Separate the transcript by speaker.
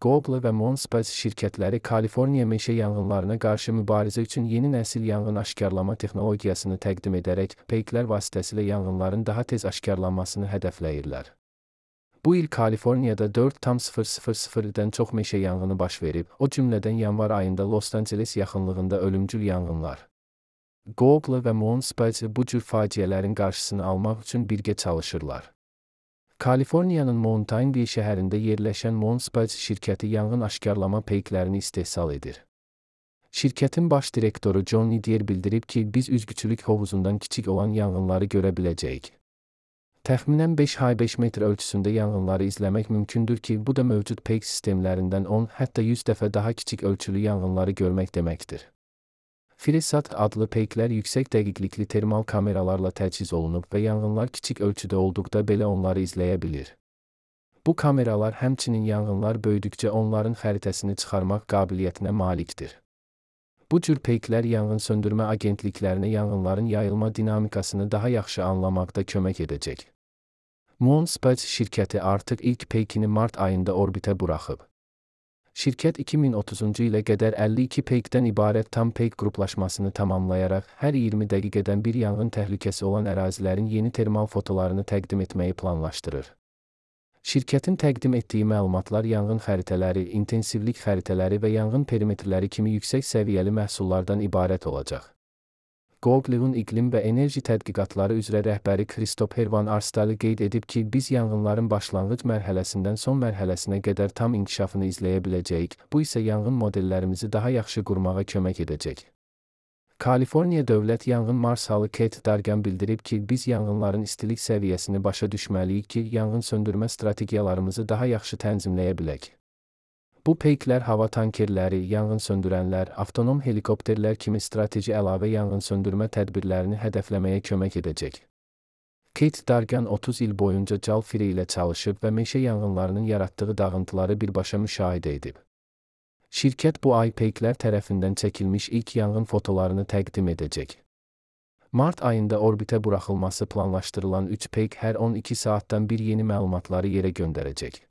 Speaker 1: Google və Moonspace şirkətləri Kaliforniya meşə yanğınlarına qarşı mübarizə üçün yeni nəsil yanğın aşkarlama texnologiyasını təqdim edərək, peyklər vasitəsilə yanğınların daha tez aşkarlanmasını hədəfləyirlər. Bu il Kaliforniyada 4,000-dən çox meşə yanğını baş verib, o cümlədən yanvar ayında Los Angeles yaxınlığında ölümcül yanğınlar. Google və Moonspace bu cür faciələrin qarşısını almaq üçün birgə çalışırlar. Kaliforniyanın Mountain View şəhərində yerləşən Moonspace şirkəti yanğın aşkarlama peyklərini istehsal edir. Şirkətin baş direktoru John Nidier bildirib ki, biz üzgüçülük hovuzundan kiçik olan yanğınları görə biləcəyik. Təxminən 5x5 metr ölçüsündə yanğınları izləmək mümkündür ki, bu da mövcud peyk sistemlərindən 10, hətta 100 dəfə daha kiçik ölçülü yanğınları görmək deməkdir. FreeSat adlı peyklər yüksək dəqiqlikli termal kameralarla təchiz olunub və yanğınlar kiçik ölçüdə olduqda belə onları izləyə bilir. Bu kameralar həmçinin yanğınlar böyüdükcə onların xəritəsini çıxarmaq qabiliyyətinə malikdir. Bu cür peyklər yanğın söndürmə agentliklərinə yanğınların yayılma dinamikasını daha yaxşı anlamaqda kömək edəcək. Moonspace şirkəti artıq ilk peykini mart ayında orbitə buraxıb. Şirkət 2030-cu ilə qədər 52 peykdən ibarət tam peyk qruplaşmasını tamamlayaraq, hər 20 dəqiqədən bir yanğın təhlükəsi olan ərazilərin yeni termal fotolarını təqdim etməyi planlaşdırır. Şirkətin təqdim etdiyi məlumatlar yanğın xəritələri, intensivlik xəritələri və yanğın perimetrləri kimi yüksək səviyyəli məhsullardan ibarət olacaq. Google'un iqlim və enerji tədqiqatları üzrə rəhbəri Christopher Van Arsdale qeyd edib ki, biz yanğınların başlanğıc mərhələsindən son mərhələsinə qədər tam inkişafını izləyə biləcəyik, bu isə yanğın modellərimizi daha yaxşı qurmağa kömək edəcək. Kaliforniya Dövlət Yanğın Marşalı Keith Dargan bildirib ki, biz yanğınların istilik səviyyəsini başa düşməliyik ki, yanğın söndürmə strategiyalarımızı daha yaxşı tənzimləyə bilək. Bu peyklər hava tankerləri, yanğın söndürənlər, avtonom helikopterlər kimi strateji əlavə yanğın söndürmə tədbirlərini hədəfləməyə kömək edəcək. Keith Dargan 30 il boyunca Cal Free ilə çalışıb və meşə yanğınlarının yaratdığı dağıntıları birbaşa müşahidə edib. Şirkət bu ay peyklər tərəfindən çəkilmiş ilk yanğın fotolarını təqdim edəcək. Mart ayında orbitə buraxılması planlaşdırılan 3 peyk hər 12 saatdan bir yeni məlumatları yerə göndərəcək.